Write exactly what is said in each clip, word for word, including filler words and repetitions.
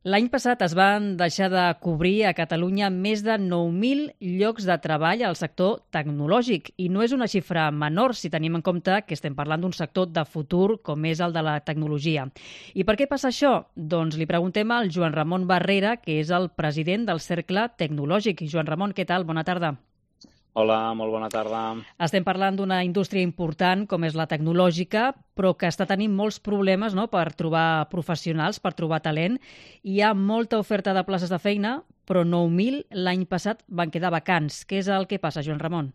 L'any passat es van deixar de cobrir a Catalunya més de nou mil llocs de treball al sector tecnològic i no és una xifra menor si tenim en compte que estem parlant d'un sector de futur com és el de la tecnologia. I per què passa això? Doncs li preguntem al Joan Ramon Barrera, que és el president del Cercle Tecnològic. Joan Ramon, què tal? Bona tarda. Hola, molt bona tarda. Estem parlant d'una indústria important com és la tecnològica, però que està tenint molts problemes, no?, per trobar professionals, per trobar talent. Hi ha molta oferta de places de feina, però nou mil l'any passat van quedar vacants. Què és el que passa, Joan Ramon?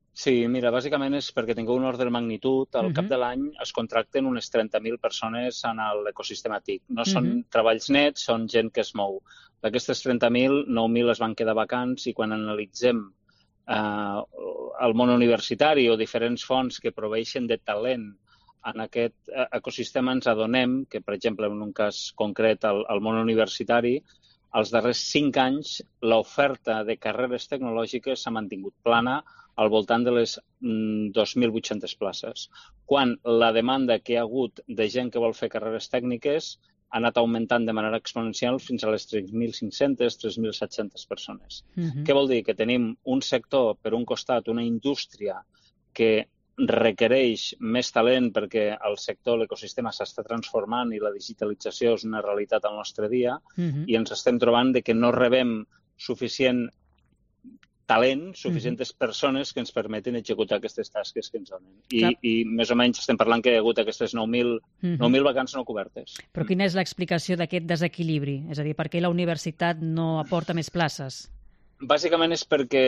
Sí, mira, bàsicament és perquè tingueu un ordre de magnitud. Al uh -huh. cap de l'any es contracten unes trenta mil persones en l'ecosistema T I C. No són uh -huh. treballs nets, són gent que es mou. D'aquestes trenta mil, nou mil es van quedar vacants i quan analitzem Uh, el món universitari o diferents fonts que proveeixen de talent en aquest uh, ecosistema ens adonem que, per exemple, en un cas concret, al, al món universitari, als darrers cinc anys l'oferta de carreres tecnològiques s'ha mantingut plana al voltant de les mm, dos mil vuit-centes places, quan la demanda que hi ha hagut de gent que vol fer carreres tècniques ha anat augmentant de manera exponencial fins a les tres mil cinc-centes, tres mil set-centes persones. Uh-huh. Què vol dir? Que tenim un sector, per un costat, una indústria que requereix més talent perquè el sector, l'ecosistema s'està transformant i la digitalització és una realitat al nostre dia uh-huh. i ens estem trobant de que no rebem suficient talent, suficientes uh-huh. persones que ens permeten executar aquestes tasques que ens donen. I, i més o menys estem parlant que hi ha hagut aquestes nou mil uh-huh. vacants no cobertes. Però quina és l'explicació d'aquest desequilibri? És a dir, per què la universitat no aporta més places? Bàsicament és perquè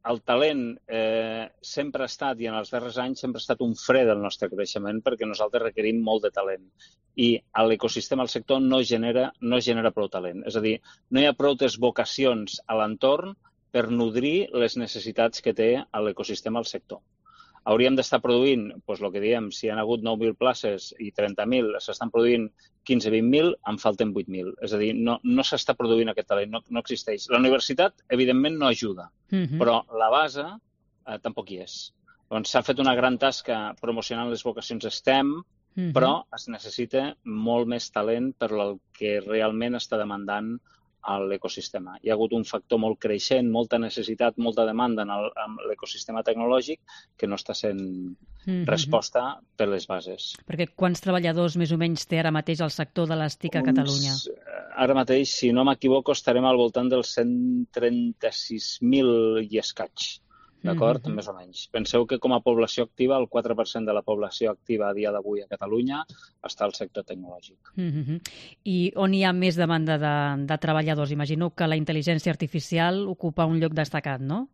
el talent eh, sempre ha estat, i en els darrers anys sempre ha estat un fre del nostre creixement perquè nosaltres requerim molt de talent. I a l'ecosistema, al sector, no genera, no genera prou talent. És a dir, no hi ha prou vocacions a l'entorn per nodrir les necessitats que té l'ecosistema al sector. Hauríem d'estar produint, doncs el que diem, si hi ha hagut nou mil places i trenta mil, s'estan produint quinze a vint mil, en falten vuit mil. És a dir, no, no s'està produint aquest talent, no, no existeix. La universitat, evidentment, no ajuda, uh-huh. però la base eh, tampoc hi és. Doncs s'ha fet una gran tasca promocionant les vocacions STEM, uh-huh. però es necessita molt més talent per el que realment està demandant a l'ecosistema. Hi ha hagut un factor molt creixent, molta necessitat, molta demanda en, el, en l'ecosistema tecnològic que no està sent mm-hmm. resposta per les bases. Perquè quants treballadors més o menys té ara mateix el sector de les T I C a Catalunya? Uns, ara mateix, si no m'equivoco, estarem al voltant dels cent trenta-sis mil i escaig. D'acord? Mm-hmm. Més o menys. Penseu que com a població activa, el quatre per cent de la població activa a dia d'avui a Catalunya està al sector tecnològic. Mm-hmm. I on hi ha més demanda de, de treballadors? Imagino que la intel·ligència artificial ocupa un lloc destacat, no?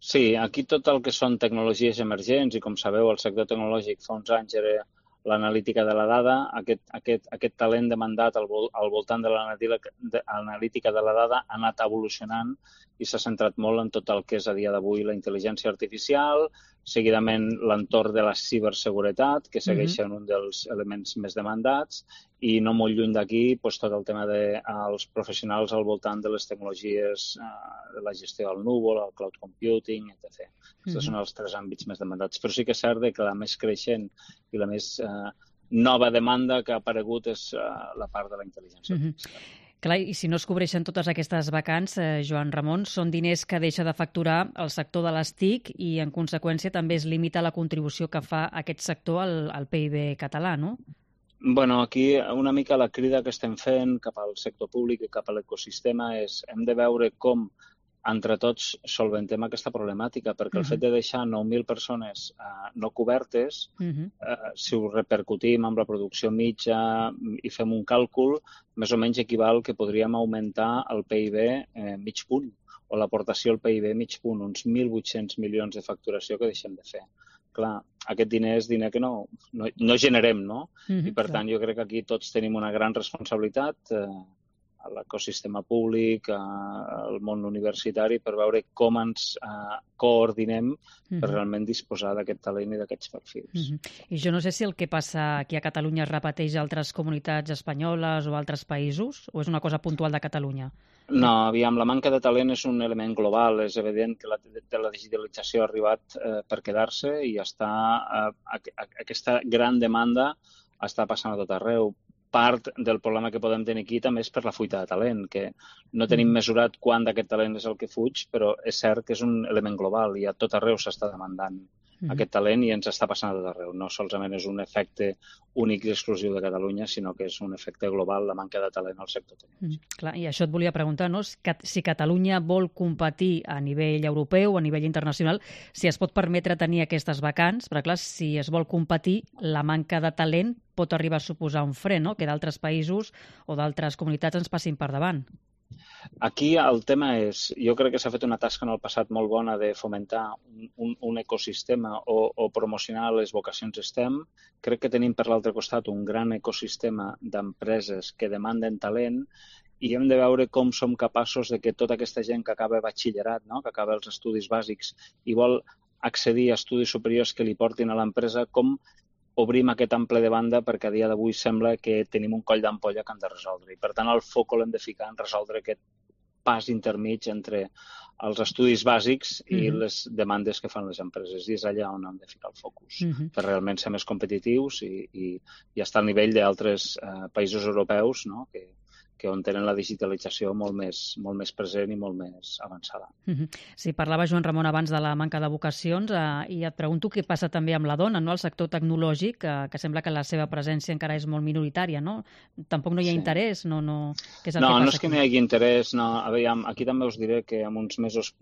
Sí, aquí tot el que són tecnologies emergents i, com sabeu, el sector tecnològic fa uns anys era l'analítica de la dada, aquest, aquest, aquest talent demandat al, vol, al voltant de l'analítica de la dada ha anat evolucionant i s'ha centrat molt en tot el que és a dia d'avui la intel·ligència artificial, seguidament l'entorn de la ciberseguretat, que segueixen uh-huh. un dels elements més demandats, i no molt lluny d'aquí doncs, tot el tema dels de, professionals al voltant de les tecnologies eh, de la gestió del núvol, el cloud computing, etcètera. Aquests uh-huh. són els tres àmbits més demandats. Però sí que és cert que la més creixent i la més eh, nova demanda que ha aparegut és eh, la part de la intel·ligència artificial. Uh-huh. Clar, i si no es cobreixen totes aquestes vacants, eh, Joan Ramon, són diners que deixa de facturar el sector de les T I C i, en conseqüència, també es limita la contribució que fa aquest sector al, al P I B català, no? Bueno, aquí una mica la crida que estem fent cap al sector públic i cap a l'ecosistema és hem de veure com entre tots solventem aquesta problemàtica, perquè uh-huh. el fet de deixar nou mil persones uh, no cobertes, uh-huh. uh, si ho repercutim amb la producció mitja i fem un càlcul, més o menys equival que podríem augmentar el P I B eh, mig punt, o l'aportació al P I B mig punt, uns mil vuit-cents milions de facturació que deixem de fer. Clar, aquest diner és diner que no, no, no generem, no? Uh-huh, I per clar. tant jo crec que aquí tots tenim una gran responsabilitat eh, a l'ecosistema públic, al món universitari, per veure com ens eh, coordinem uh-huh. per realment disposar d'aquest talent i d'aquests perfils. Uh-huh. I jo no sé si el que passa aquí a Catalunya es repeteix a altres comunitats espanyoles o altres països, o és una cosa puntual de Catalunya? No, aviam, la manca de talent és un element global. És evident que la, la digitalització ha arribat eh, per quedar-se i està, eh, a, a, aquesta gran demanda està passant a tot arreu. part del problema que podem tenir aquí també és per la fuita de talent, que no tenim mesurat quant d'aquest talent és el que fuig, però és cert que és un element global i a tot arreu s'està demandant mm-hmm. aquest talent i ens està passant a tot arreu. No solament és un efecte únic i exclusiu de Catalunya, sinó que és un efecte global, la manca de talent al sector tecnològic. Mm, clar, i això et volia preguntar, no? Si Catalunya vol competir a nivell europeu, a nivell internacional, si es pot permetre tenir aquestes vacants, però clar, si es vol competir, la manca de talent pot arribar a suposar un fre, no? Que d'altres països o d'altres comunitats ens passin per davant. Aquí el tema és, jo crec que s'ha fet una tasca en el passat molt bona de fomentar un, un, un ecosistema o, o promocionar les vocacions STEM. Crec que tenim per l'altre costat un gran ecosistema d'empreses que demanden talent i hem de veure com som capaços de que tota aquesta gent que acaba batxillerat, no? Que acaba els estudis bàsics i vol accedir a estudis superiors que li portin a l'empresa, com obrim aquest ample de banda perquè a dia d'avui sembla que tenim un coll d'ampolla que hem de resoldre. I per tant el foc l'hem de ficar en resoldre aquest pas intermig entre els estudis bàsics i mm-hmm. les demandes que fan les empreses. I és allà on hem de ficar el focus, mm-hmm. per realment ser més competitius i, i, i estar al nivell d'altres eh, països europeus, no? que, que on tenen la digitalització molt més, molt més present i molt més avançada. Mm-hmm. Sí, parlava Joan Ramon abans de la manca de vocacions eh, i et pregunto què passa també amb la dona, no? El sector tecnològic, eh, que sembla que la seva presència encara és molt minoritària, no? Tampoc no hi ha sí. interès? No, no... Què és el no, que passa no és que no hi hagi interès. No. A veure, aquí també us diré que en uns mesos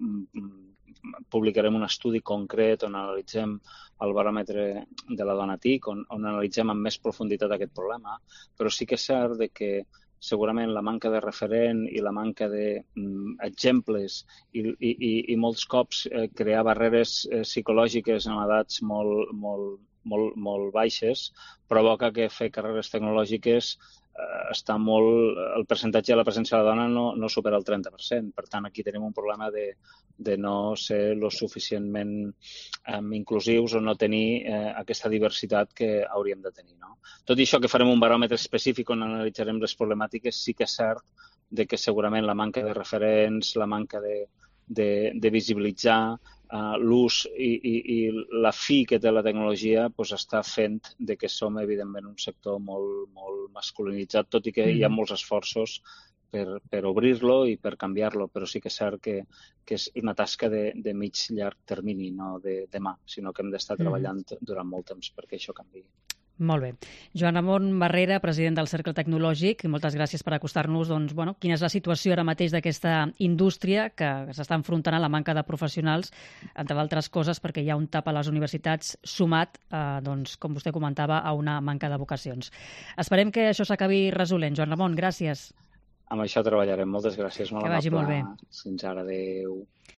publicarem un estudi concret on analitzem el baròmetre de la dona TIC, on, on analitzem amb més profunditat aquest problema, però sí que és cert de que segurament la manca de referent i la manca d'exemples i, i, i molts cops eh, crear barreres eh, psicològiques en edats molt, molt, molt, molt baixes provoca que fer carreres tecnològiques eh, està molt... El percentatge de la presència de la dona no, no supera el trenta per cent. Per tant, aquí tenim un problema de, de no ser lo suficientment eh, inclusius o no tenir eh, aquesta diversitat que hauríem de tenir. No? Tot i això que farem un baròmetre específic on analitzarem les problemàtiques, sí que és cert de que segurament la manca de referents, la manca de, de, de visibilitzar uh, l'ús i, i, i la fi que té la tecnologia pues, està fent de que som, evidentment, un sector molt, molt masculinitzat, tot i que mm. hi ha molts esforços per, per obrir-lo i per canviar-lo, però sí que és cert que, que és una tasca de, de mig llarg termini, no de demà, sinó que hem d'estar treballant mm. durant molt temps perquè això canviï. Molt bé. Joan Ramon Barrera, president del Cercle Tecnològic, moltes gràcies per acostar-nos doncs, bueno, quina és la situació ara mateix d'aquesta indústria que s'està enfrontant a la manca de professionals, entre d'altres coses perquè hi ha un tap a les universitats sumat, eh, doncs, com vostè comentava, a una manca de vocacions. Esperem que això s'acabi resolent. Joan Ramon, gràcies. Amb això treballarem. Moltes gràcies. Molt que vagi amable. molt bé. Fins ara. Adéu.